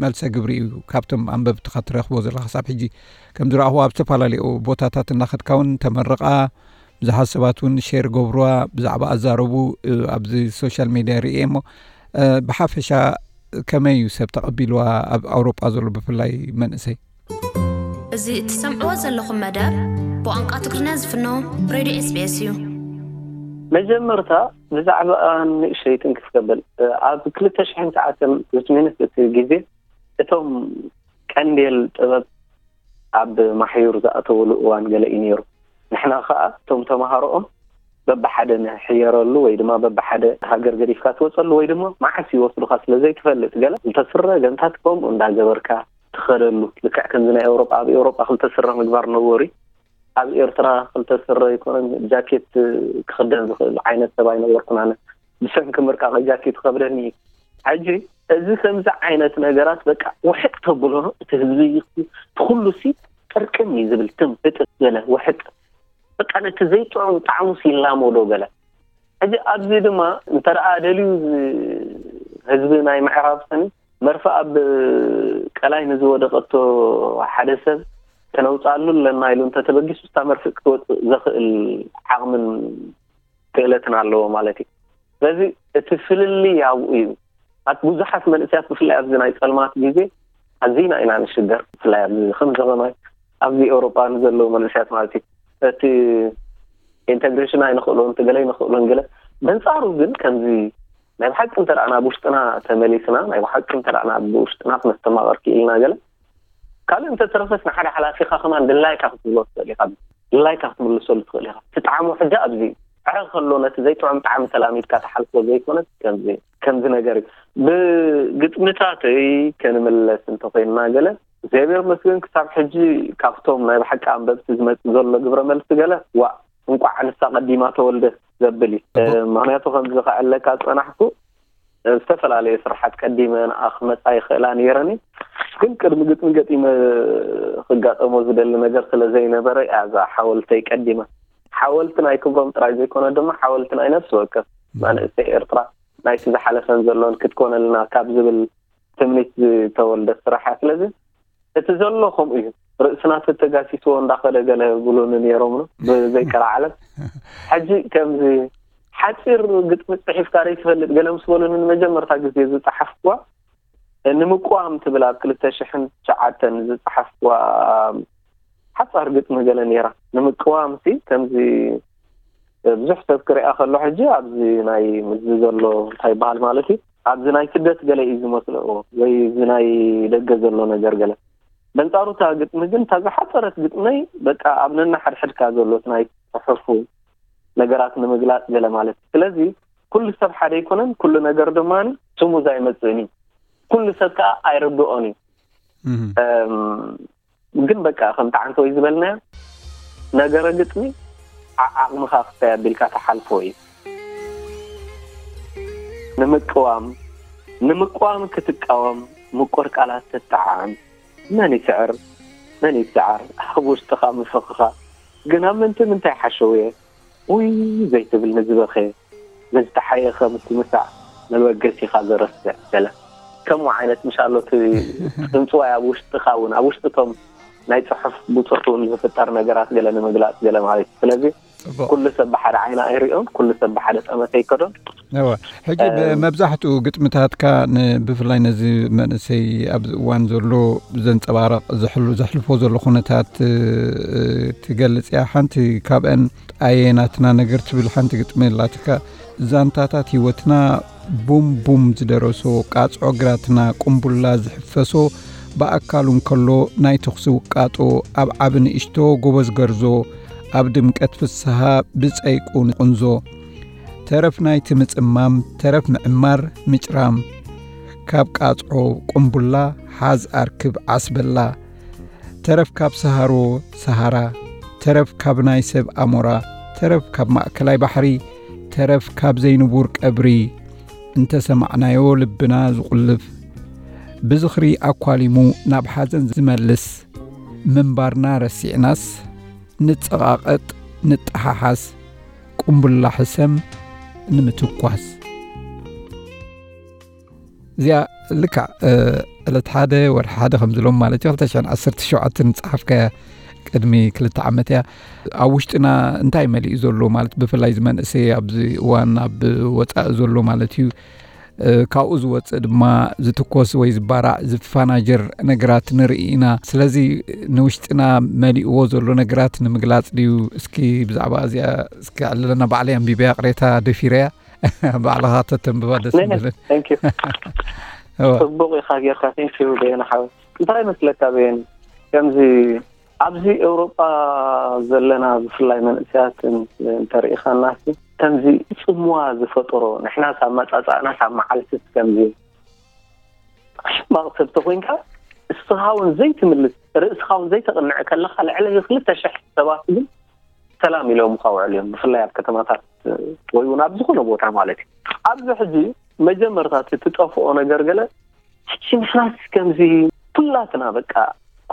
መልሰ ግብሪ እዩ ካብቶም ኣንበብትኻ ትረኽቦ ዘለኻ? ክሳብ ሕጂ ከም ዝረኣኹ ኣብ ዝተፈላለዩ ቦታታት እናኸድካ እውን ተመርቓ ብዙሓት ሰባት እውን ሼር ገብርዋ ብዛዕባ ኣዛረቡ ኣብዚ ሶሻል ሚድያ ርእየ እሞ ብሓፈሻ ከመይ እዩ ሰብ ተቐቢልዋ ኣብ ኣውሮጳ ዘሎ ብፍላይ መንእሰይ? እዚ እትሰምዕዎ ዘለኹም መደብ ብቋንቋ ትግርኛ ዝፍኖ ሬድዮ ኤስቢኤስ እዩ። መጀመርታ ብዛዕባ ንእሽተይ ትንክፍ ከብል፣ ኣብ ክልተ ሽሕን ትሽዓተን ዝትሜንት እቲ ግዜ እቶም ቀንዴል ጥበብ ኣብ ማሕዩር ዝኣተወሉ እዋን ገለ እዩ ነይሩ። ንሕና ኸኣ እቶም ተምሃሮኦም በብሓደ ንሕየረሉ ወይ ድማ በብሓደ ሃገር ገዲፍካ ትወፀሉ ወይ ድማ መዓስ ይወስዱኻ ስለ ዘይትፈልጥ ገለ ዝተስረ ገንታት ከምኡ እንዳገበርካ ትኸደሉ። ልክዕ ከምዚ ናይ ኤውሮጳ፣ ኣብ ኤውሮጳ ክልተ ስረ ምግባር ነወሪ። ኣብ ኤርትራ ክልተ ስረ ይኮነን ጃኬት ክኽደን ዝኽእል ዓይነት ሰብ ኣይነበርኩን ኣነ። ብሰንኪ ምርቃቕ ጃኬት ይኸብደኒ እዩ። ሕጂ እዚ ከምዚ ዓይነት ነገራት በቃ ውሕጥ ተብሎ እቲ ህዝቢ እቲ ኩሉ ሲ ጥርቅም እዩ ዝብል ትም ህጥጥ ገለ ውሕጥ በቃ ነቲ ዘይጥዑም ጣዕሙ ሲላመዶ ገለ። ሕጂ ኣብዚ ድማ እንተ ደኣ ደልዩ ዝ- ህዝቢ ናይ ምዕራብ ሰኒ መርፍእ ኣብ ቀላይ ንዝወደቐቶ ሓደ ሰብ ከነውፅኣሉ ኣለና ኢሉ እንተተበጊሱ እታ መርፍእ ክትወፅእ ዘኽእል ዓቕምን ክእለትን ኣለዎ ማለት እዩ። ስለዚ እቲ ፍልልይ ኣብኡ እዩ። ኣት ብዙሓት መንእስያት ብፍላይ ኣብዚ ናይ ፀልማት ግዜ ኣዚና ኢና ንሽገር። ብፍላይ ኣብዚ ከም ዘመናይ ኣብዚ ኤውሮጳ ንዘለዉ መንእስያት ማለት እዩ። እቲ ኢንተግሬሽን ኣይንኽእሎን እቲ ገለ ኣይንኽእሎን ገለ። በንፃሩ ግን ከምዚ ናይ ብሓቂ እንተ ደኣ ናብ ውሽጥና ተመሊስና ናይ ብሓቂ እንተ ደኣ ናብ ውሽጥና ክነስተማቐር ክኢልና ገለ ካልእ እንተተረፈስ ንሓደ ሓላፊኻ ከማን ድላይካ ክትብሎ ትኽእል ኢኻ። ድላይካ ክትምልሰሉ ትኽእል ኢኻ። እቲ ጣዕሙ ሕጂ ኣብዚ እዩ። ዕረ ከሎ ነቲ ዘይጥዑም ጣዕሚ ተላሚድካ ትሓልፎ ዘይኮነስ ከምዚ ከምዚ ነገር እዩ። ብግጥምታተይ ከንምለስ እንተኮይንና ገለ እግዚኣብሔር መስገን ክሳብ ሕጂ ካብቶም ናይ ብሓቂ ኣንበብቲ ዝመጽእ ዘሎ ግብረ መልሲ ገለ ዋእ እንቋዕ ንሳ ቀዲማ ተወልደት ዘብል እዩ። ምክንያቱ ከምዚ ከዕለካ ዝጸናሕኩ ዝተፈላለየ ስራሓት ቀዲመ ንኣ ክመጻ ይኽእላ ነይረን ግን ቅድሚ ግጥሚ ገጢመ ክጋጠሞ ዝደሊ ነገር ስለ ዘይነበረ እያ እዛ ሓወልተይ ቀዲመ። ሓወልቲ ናይ ክብሮም ጥራይ ዘይኮነ ድማ ሓወልቲ ናይ ነፍሲ ወከፍ መንእሰይ ኤርትራ ናይቲ ዝሓለፈን ዘሎን ክትኮነልና ካብ ዝብል ትምኒት ዝተወልደ ስራሕ እያ። ስለዚ እቲ ዘሎ ከምኡ እዩ። ርእስና ተተጋሲስዎ እንዳኸደ ገለ ብሉኒ ነይሮም ብዘይቀር ዓለም። ሕጂ ከምዚ ሓፂር ግጥሚ ፅሒፍካ ዶ ትፈልጥ ገለ ምስ በሉኒ ንመጀመርታ ግዜ ዝፀሓፍኩዋ ንምቅዋም ትብል ኣብ ክልተ ሽሕን ትሽዓተን ዝፀሓፍኩዋ ሓፃር ግጥሚ ገለ ነይራ። ንምቅዋም ሲ ከምዚ ብዙሕ ሰብ ክሪኣ ከሎ ሕጂ ኣብዚ ናይ ምዚ ዘሎ እንታይ ይበሃል ማለት እዩ ኣብዚ ናይ ስደት ገለ እዩ ዝመስልዎ ወይ እዚ ናይ ደገ ዘሎ ነገር ገለ በንጻሩ እታ ግጥሚ ግን እታ ዝሓጸረት ግጥመይ በቃ ኣብ ነናሓድሕድካ ዘሎ እቲ ናይ ጽሑፉ ነገራት ንምግላጽ ገለ ማለት እዩ ስለዚ ኩሉ ሰብ ሓደ ኣይኮነን ኩሉ ነገር ድማ ስሙዝ ኣይመጽእን እዩ ኩሉ ሰብ ከዓ ኣይርድኦን እዩ ግን በቃ ከምቲ ዓንተወይ ዝበልናዮ ነገረ ግጥሚ ዓዓቕምኻ ክስታይ ኣቢልካ ትሓልፎ እዩ ንምቅዋም ንምቅዋም ክትቃወም ምቁር ቃላት ትጠዓዓም መን ይስዕር መን ይሰዓር ኣብ ውሽጥኻ ምፍኽኻ ግን ኣብ ምንቲ ምንታይ ሓሸውየ ውይ ዘይትብል ንዝበኸ ንዝተሓየኸ ምትምሳዕ መበገሲኻ ዘረስዕ ገለ ከምኡ ዓይነት ምሻሎ እቲ ጽንጽዋይ ኣብ ውሽጥኻ እውን ኣብ ውሽጥቶም ናይ ጽሑፍ ብጾት እውን ዝፍጠር ነገራት ገለ ንምግላጽ ገለ ማለት እዩ ስለዚ ኩሉ ሰብ ብሓደ ዓይና ኣይሪኦን ኩሉ ሰብ ብሓደ ጠመተ ይከዶን እወ ሕጂ ብመብዛሕትኡ ግጥምታትካ ብፍላይ ነዚ መንእሰይ ኣብዚ እዋን ዘሎ ዘንፀባረቕ ዘሕልፎ ዘሎ ኩነታት ትገልፅ እያ ሓንቲ ካብአን ኣየ ናትና ነገር ትብል ሓንቲ ግጥሚ ኣላትካ ዛንታታት ህይወትና ቡም ቡም ዝደረሶ ቃፅዖ ግራትና ቁምቡላ ዝሕፈሶ ብኣካሉ እንከሎ ናይ ተኹሲ ውቃጦ ኣብ ዓቢ ንእሽቶ ጎበዝ ገርዞ ኣብ ድምቀት ፍስሃ ብጸይቁ ንቕንዞ ተረፍ ናይቲ ምጽማም ተረፍ ምዕማር ምጭራም ካብ ቃጽዖ ቁምቡላ ሓዝ ኣርክብ ዓስበላ ተረፍ ካብ ሰሃሮ ሰሃራ ተረፍ ካብ ናይ ሰብ ኣሞራ ተረፍ ካብ ማእከላይ ባሕሪ ተረፍ ካብ ዘይንቡር ቀብሪ እንተ ሰማዕናዮ ልብና ዝቑልፍ ብዝኽሪ ኣኳሊሙ ናብ ሓዘን ዝመልስ ምንባርና ረሲዕናስ ንጸቓቐጥ ንጠሓሓስ ቁምቡላ ሕሰም ንምትኳስ እዚኣ ልክዕ ዕለት ሓደ ወርሒ ሓደ ከም ዝሎም ማለት እዩ ክልተ ሽሕን ዓሰርተ ሸውዓተን ዝፀሓፍካያ ቅድሚ ክልተ ዓመት እያ ኣብ ውሽጥና እንታይ መሊኡ ዘሎ ማለት ብፍላይ ዝመንእሰይ ኣብዚ እዋን ኣብ ወፃኢ ዘሎ ማለት እዩ ካብኡ ዝወፅእ ድማ ዝትኮስ ወይ ዝባራዕ ዝፋናጀር ነገራት ንርኢ ኢና። ስለዚ ንውሽጥና መሊእዎ ዘሎ ነገራት ንምግላፅ ድዩ? እስኪ ብዛዕባ እዚኣ እስኪ ዕልለና። ባዕለይ ኣንቢበያ ቅሬታ ደፊረያ። ባዕልኻ ተተንብባ ደስ ምበለን። ጽቡቅ ኢኻ ጌርካ። ቴንኪዩ በየነ ሓወይ። እንታይ መስለካ በየነ፣ ከምዚ ኣብዚ ኤውሮጳ ዘለና ብፍላይ መንእሰያት እንተርኢኻና ከምዚ ጽምዋ ዝፈጠሮ፣ ንሕና ሳብ መጻጻእና ሳብ መዓልትስ ከምዚ ሕማቕ ሰብ ተኮይንካ፣ እስኻ እውን ዘይትምልስ፣ ርእስኻ እውን ዘይተቕንዕ ከለኻ፣ ልዕሊ ክልተ ሽሕ ሰባት ግን ሰላም ኢሎምኻ ውዕል እዮም። ብፍላይ ኣብ ከተማታት ወይ እውን ኣብ ዝኾነ ቦታ ማለት እዩ። ኣብዚ ሕጂ መጀመርታ እቲ ትጠፍኦ ነገር ገለ፣ ሕጂ ንሕናስ ከምዚ ኩላትና በቃ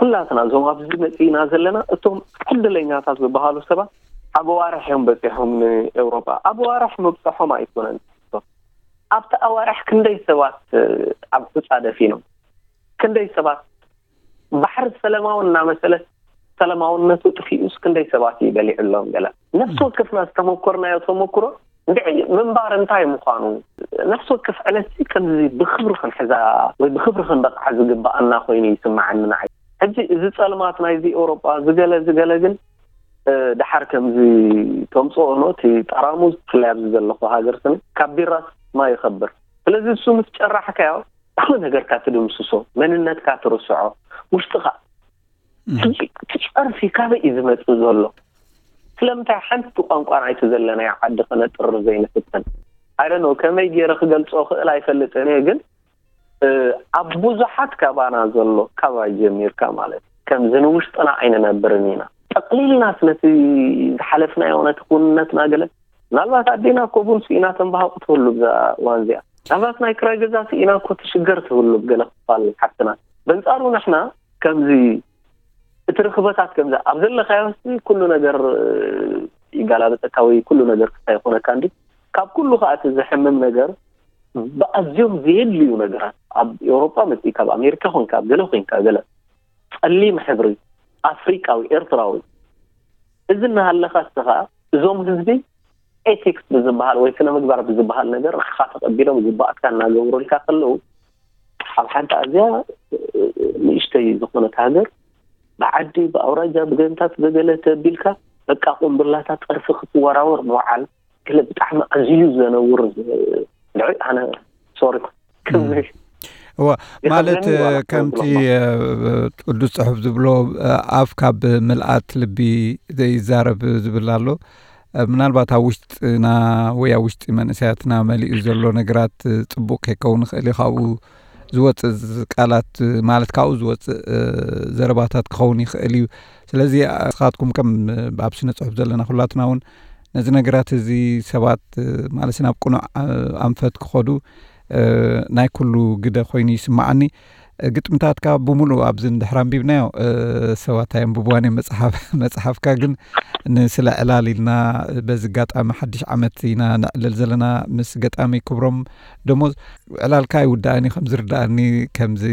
ኩላትና እዞም ኣብዚ መፂእና ዘለና እቶም ዕድለኛታት ዝበሃሉ ሰባት ኣብ ኣዋርሕ እዮም በፂሖም ንኤውሮጳ። ኣብ ኣዋርሕ ምብፅሖም ኣይኮነን፣ ኣብቲ ኣዋርሕ ክንደይ ሰባት ኣብ ሑፃ ደፊኖም፣ ክንደይ ሰባት ባሕሪ ሰላማዊ እናመሰለት ሰላማውነቱ ጥፊኡስ ክንደይ ሰባት እዩ በሊዑሎም። ገለ ነፍሲ ወከፍና ዝተመኮርናዮ ተመክሮ እንድዒ ምንባር እንታይ ምዃኑ ነፍሲ ወከፍ ዕለት ከምዚ ብክብሪ ክንሕዛ ወይ ብክብሪ ክንበቕዓ ዝግባኣና ኮይኑ ይስምዓኒ ንዓይ። ሕጂ እዚ ጸልማት ናይዚ ኤውሮጳ ዝገለ ዝገለ ግን ድሓር ከምዚ ተምፅኦ ኖ እቲ ጠራሙዝ ብፍላይ ኣብዚ ዘለኹ ሃገር ስኒ ካብ ቢራስ ማይ ይኸብር። ስለዚ እሱ ምስ ጨራሕካዮ ኩሉ ነገርካ ትድምስሶ፣ መንነትካ ትርስዖ፣ ውሽጥኻ ሕጂ እቲ ጸርፊ ካበይ እዩ ዝመጽእ ዘሎ? ስለምንታይ ሓንቲ ቋንቋ ናይቲ ዘለናዮ ዓዲ ከነጥርር ዘይንፍትን? I don't know፣ ከመይ ገይረ ክገልጾ ክእል ኣይፈልጥን እየ፣ ግን ኣብ ብዙሓት ካባና ዘሎ፣ ካባይ ጀሚርካ ማለት እዩ፣ ከምዚ ንውሽጥና ኣይንነብርን ኢና። ጠቕሊልናስ ነቲ ዝሓለፍናዮ ነቲ ክውንነትና ገለ፣ ምናልባት ኣዴና እኮ ቡን ስኢና ተንባሃቑ ትህሉ ብዛ እዋን እዚኣ። ምናልባት ናይ ክራይ ገዛ ስኢና እኮ ትሽገር ትህሉ ብገለ ክፋል ሓፍትና። በንጻሩ ንሕና ከምዚ እቲ ርኽበታት ከምዚ ኣብ ዘለኻዮ ኩሉ ነገር ይጋላበጠካ ወይ ኩሉ ነገር ክስታይ ይኾነካ እንዲ። ካብ ኩሉ ከዓ እቲ ዘሕምም ነገር ብኣዝዮም ዘየድልዩ ነገራት ኣብ ኤውሮጳ መፂእካ ኣብ ኣሜሪካ ኮንካ ኣብ ገለ ኮንካ ገለ ጸሊም ሕብሪ ኣፍሪቃዊ ኤርትራዊ እዚ እናሃለካ እስኻ እዞም ህዝቢ ኤቲክስ ብዝበሃል ወይ ስነ ምግባር ብዝበሃል ነገር ንዓኻ ተቐቢሎም ዝባኣትካ እናገበሩልካ ከለዉ ኣብ ሓንቲ ኣዝያ ንእሽተይ ዝኾነት ሃገር ብዓዲ ብኣውራጃ ብገንታት ብገለ ተቢልካ በቃ ቁምብላታት ጸርፊ ክትወራወር ምውዓል ገለ ብጣዕሚ ኣዝዩ ዘነውር ልዑል ኣነ ሶሪ እዋ ማለት ከምቲ ቅዱስ ጽሑፍ ዝብሎ ኣፍ ካብ ምልኣት ልቢ ዘይዛረብ ዝብል ኣሎ። ምናልባት ኣብ ውሽጥና ወይ ኣብ ውሽጢ መንእሰያትና መሊኡ ዘሎ ነገራት ጽቡቅ ከይከውን ይኽእል እዩ። ካብኡ ዝወፅእ ቃላት ማለት ካብኡ ዝወፅእ ዘረባታት ክኸውን ይኽእል እዩ። ስለዚ ንስኻትኩም ከም ኣብ ስነ ፅሑፍ ዘለና ኩላትና እውን ነዚ ነገራት እዚ ሰባት ማለት ናብ ቅኑዕ ኣንፈት ክኸዱ ናይ ኩሉ ግደ ኮይኑ ይስማዓኒ። ግጥምታትካ ብምሉእ ኣብዚ እንድሕር ኣንቢብናዮ ሰባት ኣየንብብዋን እዮም መፅሓፍ መፅሓፍካ ግን ንስለ ዕላል ኢልና በዚ ኣጋጣሚ ሓድሽ ዓመት ኢና ነዕልል ዘለና ምስ ገጣሚ ክብሮም ደሞዝ። ዕላልካ ኣይውዳእን እዩ ከም ዝርዳእኒ ከምዚ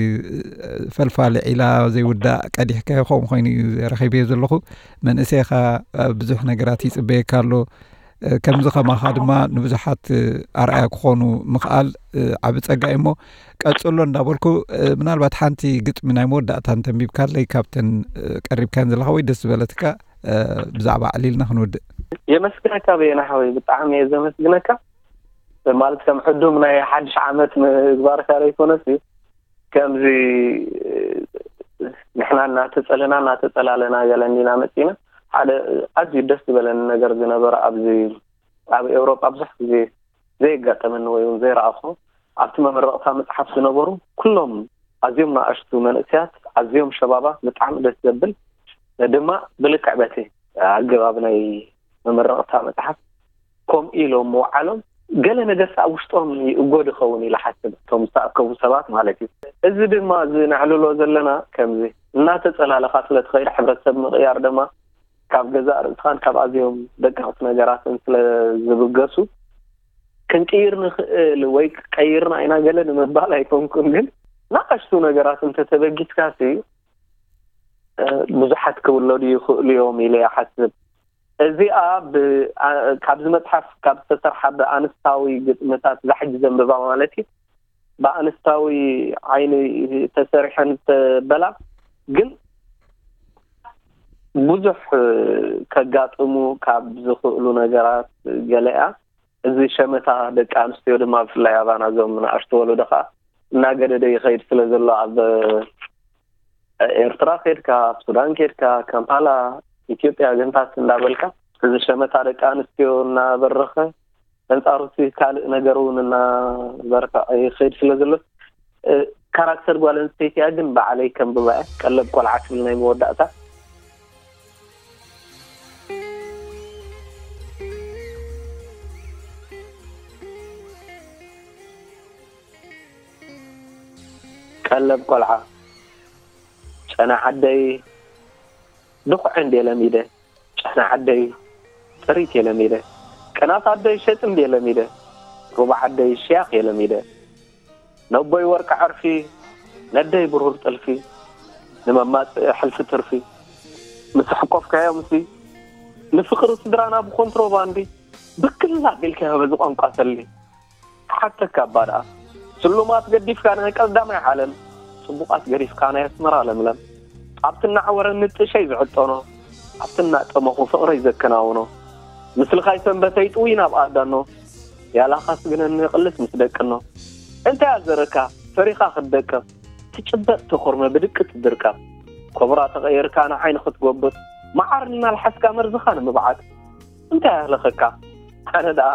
ፈልፋሊ ዒላ ዘይውዳእ ቀዲሕካዮ ከምኡ ኮይኑ እዩ ረኺበዮ ዘለኹ። መንእሰይኻ ብዙሕ ነገራት ይፅበየካ ኣሎ። ከምዚ ከማኻ ድማ ንብዙሓት ኣርኣያ ክኾኑ ምኽኣል ዓቢ ጸጋ እዩ እሞ ቀጽሎ እንዳበልኩ ምናልባት ሓንቲ ግጥሚ ናይ መወዳእታ እንተንቢብካለይ ካብተን ቀሪብካን ዘለኻ ወይ ደስ ዝበለትካ ብዛዕባ ዕሊልና ክንውድእ። የመስግነካ በየነ ሓወይ፣ ብጣዕሚ እየ ዘመስግነካ። ማለት ከም ዕዱም ናይ ሓድሽ ዓመት ምግባርካ ዘይኮነስ ከምዚ ንሕና እናተጸለና እናተጸላለና ገለ እንዲና መጺና ሓደ ኣዝዩ ደስ ዝበለኒ ነገር ዝነበረ ኣብዚ ኣብ ኤውሮጳ ብዙሕ ግዜ ዘየጋጠመኒ ወይ እውን ዘይረኣኹ ኣብቲ መመረቕታ መጽሓፍ ዝነበሩ ኩሎም ኣዝዮም ንኣሽቱ መንእሰያት ኣዝዮም ሸባባት ብጣዕሚ ደስ ዘብል ድማ ብልክዕ በቲ ኣገባብ ናይ መመረቕታ መጽሓፍ ከምኡ ኢሎም ምውዓሎም ገለ ነገር ኣብ ውሽጦም ይእጎ ድኸውን ኢለ ሓስብ እቶም ዝተኣከቡ ሰባት ማለት እዩ። እዚ ድማ እዚ ነዕልሎ ዘለና ከምዚ እናተጸላለኻ ስለ ትኸይድ ሕብረተሰብ ምቕያር ድማ ካብ ገዛእ ርእስኻን ካብ ኣዝዮም ደቀቕቲ ነገራትን ስለ ዝብገሱ ክንቅይር ንኽእል ወይ ቀይርና ኢና ገለ ንምባል ኣይኮንኩን፣ ግን ንኣሽቱ ነገራት እንተተበጊስካሲ ብዙሓት ክውለዱ ይኽእሉ እዮም ኢለ ይሓስብ። እዚኣ ካብዚ መፅሓፍ ካብ ዝተሰርሓ ብኣንስታዊ ግጥምታት ዛሕጂ ዘንብባ ማለት እዩ ብኣንስታዊ ዓይኒ ተሰሪሐን ዝተበላ ግን ብዙሕ ከጋጥሙ ካብ ዝኽእሉ ነገራት ገለያ። እዚ ሸመታ ደቂ ኣንስትዮ ድማ ብፍላይ ኣባና እዞም ንኣሽቱ ወለዶ ከዓ እናገደደ ይኸይድ ስለ ዘሎ ኣብ ኤርትራ ከድካ፣ ኣብ ሱዳን ከድካ፣ ካምፓላ፣ ኢትዮጵያ፣ ግንታት እንዳበልካ እዚ ሸመታ ደቂ ኣንስትዮ እናበረኸ ኣንጻሩ እቲ ካልእ ነገር እውን እናበርትዐ ይኸይድ ስለ ዘሎ ካራክተር ጓል ኣንስተይቲ እያ። ግን ባዕለይ ከም ብባያ ቀለብ ቆልዓ ትብል ናይ መወዳእታ ቀለብ ቆልዓ ጨና ዓደይ ድኹዐ እንዴ ለሚደ ጨና ዓደይ ጥሪት የለሚደ ቅናት ዓደይ ሸጥ እንዴ ለሚደ ሩባ ዓደይ ሽያኽ የለሚደ ነቦይ ወርቂ ዓርፊ ነደይ ብሩር ጥልፊ ንመማፅእ ሕልፊ ትርፊ ምስ ኣሕቆፍካዮምሲ ንፍቕሪ ስድራና ብኮንትሮባንዲ ብክል ኣቢልካዮ በዚ ቋንቋ ሰሊ ክሓተካ እባ ደኣ ስሉማት ገዲፍካ ናይ ቀዳማይ ዓለም ጽቡቓት ገዲፍካ ናይ ኣስመራ ለምለም ኣብቲ እናዓወረ ንጥሸይ ዝዕጠኖ ኣብቲ እናጠመኹ ፍቕረይ ዘከናውኖ ምስልኻይ ሰንበተይ ጥውይ ናብ ኣዳኖ ያላኻስ ግነኒ ቅልስ ምስ ደቅኖ እንታይ ኣዘረካ ፈሪኻ ክትደቅቕ ትጭበጥ ተኾርመ ብድቂ ትድርቀቕ ኮብራ ተቐይርካ ንዓይኒ ክትጎብጥ መዓር እናልሓስካ መርዝኻ ንምብዓጥ እንታይ ኣህለኸካ ኣነ ደኣ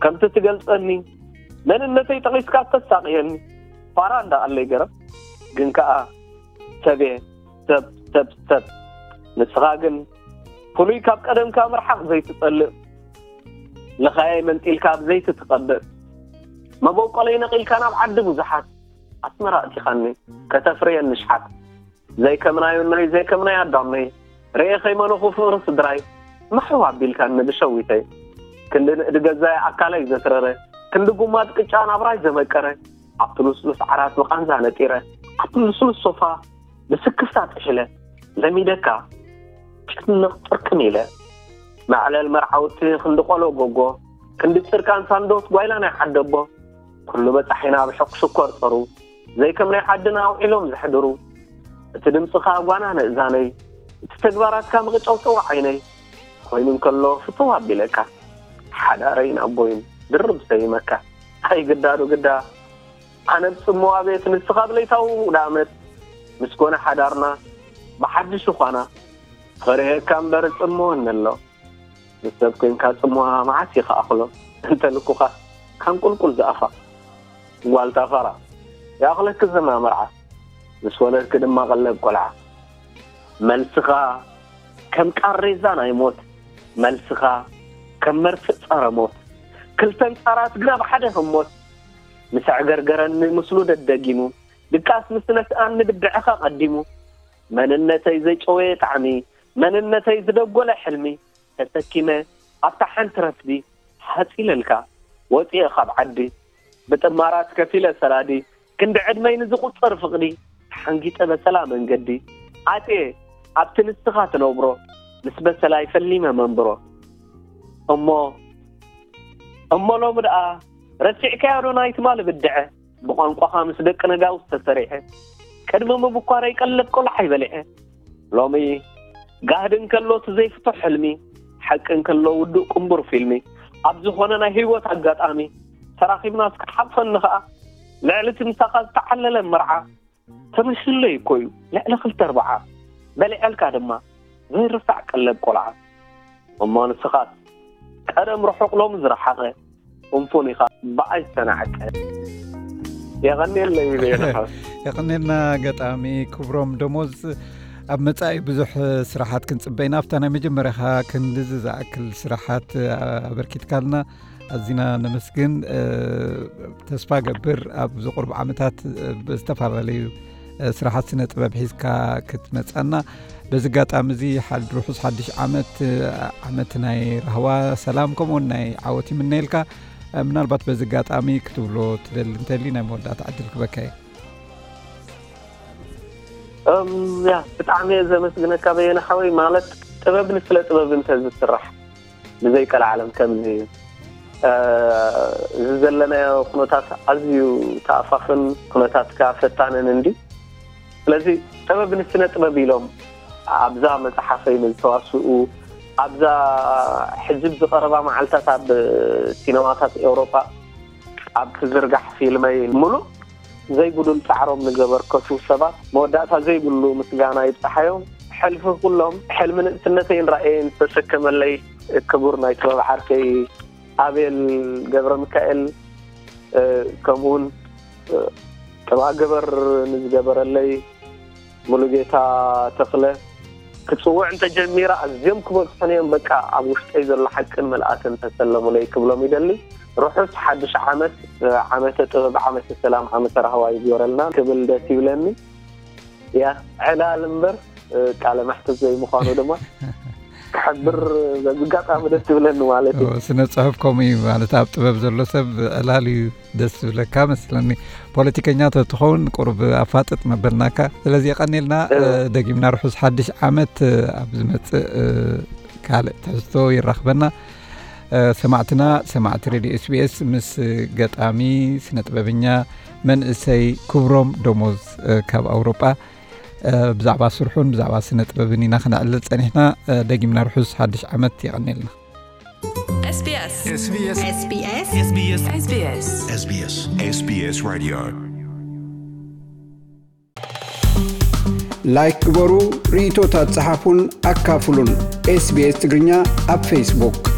ከምቲ ትገልጸኒ መንነተይ ጠቒስካ ተሳቕየኒ ፋራ እንዳ ኣለይ ገረብ ግን ከኣ ሰብየ ሰብ ሰብ ሰብ ንስኻ ግን ፍሉይ ካብ ቀደምካ ምርሓቕ ዘይትጸልእ ልኻየይ መንጢልካ ኣብ ዘይቲ ትቐብእ መበቆለይ ነቒልካ ናብ ዓዲ ብዙሓት ኣስመራ ኣእቲኻኒ ከተፍርየኒ ሽሓት ዘይከምናዩነይ ዘይከምናይ ኣዳመይ ርኤ ከይመነኹ ፍቕሪ ስድራይ ምሕው ኣቢልካኒ ብሸዊተይ ክንዲ ንእዲ ገዛይ ኣካለይ ዘትረረ ክንዲ ጉማድ ቅጫ ናብራይ ዘመቀረ ኣብቲ ልስሉስ ዓራት ብቓንዛ ነጢረ ኣብቲ ልስሉስ ሶፋ ብስክፍታ ጥሒለ ለሚደካ ጭንቕ ጥርቅም ኢለ መዕለል መርዓውቲ ክንዲ ቆሎ ጎጎ ክንዲ ጭርቃን ሳንዶት ጓይላ ናይ ዓደቦ ኩሉ በጻሒና ብሕቕ ሽኮር ጸሩ ዘይከም ናይ ዓድና ኣውዒሎም ዘሕድሩ እቲ ድምጽኻ ጓና ንእዛነይ እቲ ተግባራትካ ምቕጨውጨው ዓይነይ ኮይኑ እንከሎ ፍትው ኣቢለካ ሓዳረይን ኣቦይን ድርብ ሰይመካ ኣይ ግዳዶ ግዳ ኣነ ብጽምዋ ቤት ንስኻ ብለይታዊ ውዳመት ምስ ኮነ ሓዳርና ብሓድሽ ዃና ፈሪሀካ እምበር ጽምወኒ ኣሎ ምስ ሰብ ኮንካ ጽምዋ መዓስ ይኸኣኽሎ እንተ ልኩኻ ካን ቁልቁል ዝኣፋ ጓልታ ፋራ ይኣኽለኪ ዘና መርዓ ምስ ወለድኪ ድማ ቀለብ ቆልዓ መልስኻ ከም ቃሬዛ ናይ ሞት መልስኻ ከም መርፍእ ጸረ ሞት ክልተን ጻራት ግና ብሓደ ህሞት ምስ ኣዕገርገረኒ ምስሉ ደደጊሙ ድቃስ ምስ ነስኣኒ ብድዕኻ ቀዲሙ መንነተይ ዘጨወየ ጣዕሚ መንነተይ ዝደጎለ ሕልሚ ተሰኪመ ኣብታ ሓንቲ ረፍዲ ሃጽ ኢለልካ ወጺኤ ካብ ዓዲ ብጥማራት ከፊለ ሰላዲ ክንዲ ዕድመይ ንዝቑጸር ፍቕዲ ተሓንጊጠ በሰላ መንገዲ ኣትየ ኣብቲ ንስኻ ትነብሮ ምስ በሰላይ ፈሊመ መንብሮ እሞ እሞ ሎሚ ደኣ ረሲዕካዮ ዶ ናይ ትማሊ ብድዐ ብቋንቋኻ ምስ ደቂ ነጋውስ ተሰሪዐ ቅድሚ ምብኳረይ ቀለብ ቆልዓይ በሊዐ ሎሚ ጋህዲ እንከሎ እቲ ዘይፍቶ ሕልሚ ሓቂ እንከሎ ውዱእ ቅንቡር ፊልሚ ኣብ ዝኾነ ናይ ህይወት ኣጋጣሚ ተራኺብና እስከ ሓቕፈኒ ኸኣ ልዕሊ እቲ ምሳኻ ዝተዓለለ መርዓ ተመሲሉለይ እኮ እዩ ልዕሊ ክልተ ኣርብዓ በሊዐልካ ድማ ዘይርሳዕ ቀለብ ቆልዓ እሞ ንስኻስ ቀደም ርሑቕ ሎሚ ዝረሓቐ ፍንፉን ኢኻ ብኣይ ዝተናዕቀ የቐንየለይ በየነ ሓወይ። የቐንየልና ገጣሚ ክብሮም ደሞዝ። ኣብ መጻኢ ብዙሕ ስራሓት ክንጽበ ኢና። ኣብታ ናይ መጀመርያኻ ክንድዚ ዝኣክል ስራሓት ኣበርኪትካልና ኣዚና ነመስግን። ተስፋ ገብር ኣብዚ ቁሩብ ዓመታት ብዝተፈላለዩ ስራሓት ስነ ጥበብ ሒዝካ ክትመጻና በዚ ኣጋጣሚ እዚ ሓድ ርሑስ ሓድሽ ዓመት ዓመት ናይ ራህዋ ሰላም ከምኡውን ናይ ዓወት ይምነየልካ። ምናልባት በዚ ኣጋጣሚ ክትብሎ ትደሊ እንተሊ ናይ መወዳእታ ዕድል ክበካ እየ። እም፣ ያ ብጣዕሚ እየ ዘመስግነካ በየነ ሓወይ። ማለት ጥበብ ንስለ ጥበብ እንተ ዝስራሕ ብዘይ ቀልዓለም ከምዚ እዩ። እዚ ዘለናዮ ኩነታት ኣዝዩ ተኣፋፍን ኩነታት ከኣ ፈታንን እንዲ። ስለዚ ጥበብ ንስነ ጥበብ ኢሎም ኣብዛ መጽሓፈይ ንዝተዋስኡ፣ ኣብዛ ሕጂ ዝቐረባ መዓልታት ኣብ ሲነማታት ኤውሮጳ ኣብ ትዝርጋሕ ፊልመይ ምሉእ ዘይጉዱል ጻዕሮም ንዘበርከቱ ሰባት መወዳእታ ዘይብሉ ምስጋና ይብጽሓዮም። ሕልፊ ኩሎም ሕልሚ ንእስነተይን ራእየይን ዝተሸከመለይ ክቡር ናይ ጥበብ ዓርከይ ኣቤል ገብረ ሚካኤል፣ ከምኡውን ጥባ ገበር ንዝገበረለይ ሙሉጌታ ተኽለ ክጽውዕ እንተጀሚረ ኣዝዮም ክበጽሑን እዮም። በቃ ኣብ ውሽጠይ ዘሎ ሓቅን ምልኣትን ተሰለሙለይ ክብሎም ይደሊ። ርሑስ ሓድሽ ዓመት፣ ዓመተ ጥበብ፣ ዓመተ ሰላም፣ ዓመተ ራህዋ ይግበረልና ክብል ደስ ይብለኒ። ያ ዕላል እምበር ቃለ መሕትት ዘይምዃኑ ድማ ክሕብር በዚ ኣጋጣሚ ደስ ይብለኒ ማለት እዩ። ስነ ጽሑፍ ከምኡ እዩ ማለት ኣብ ጥበብ ዘሎ ሰብ ዕላል እዩ ደስ ዝብለካ መስለኒ። ፖለቲከኛ ተትኸውን ቁሩብ ኣፋጥጥ መበልናካ። ስለዚ የቐኔልና። ደጊምና ርሑስ ሓድሽ ዓመት ኣብ ዝመጽእ ካልእ ትሕዝቶ ይራኽበና። ሰማዕትና ሰማዕቲ ሬድዮ ኤስቢኤስ ምስ ገጣሚ ስነ ጥበበኛ መንእሰይ ክብሮም ደሞዝ ካብ ኣውሮጳ ብዛዕባ ስርሑን ብዛዕባ ስነ ጥበብን ኢና ክነዕልል ጸኒሕና። ደጊምና ርሑስ ሓድሽ ዓመት የቐኔልና። SBS SBS SBS SBS SBS SBS Radio. ላይክ ግበሩ፣ ርእይቶታት ጸሓፉን ኣካፍሉን። ኤስቢኤስ ትግርኛ ኣብ ፌስቡክ።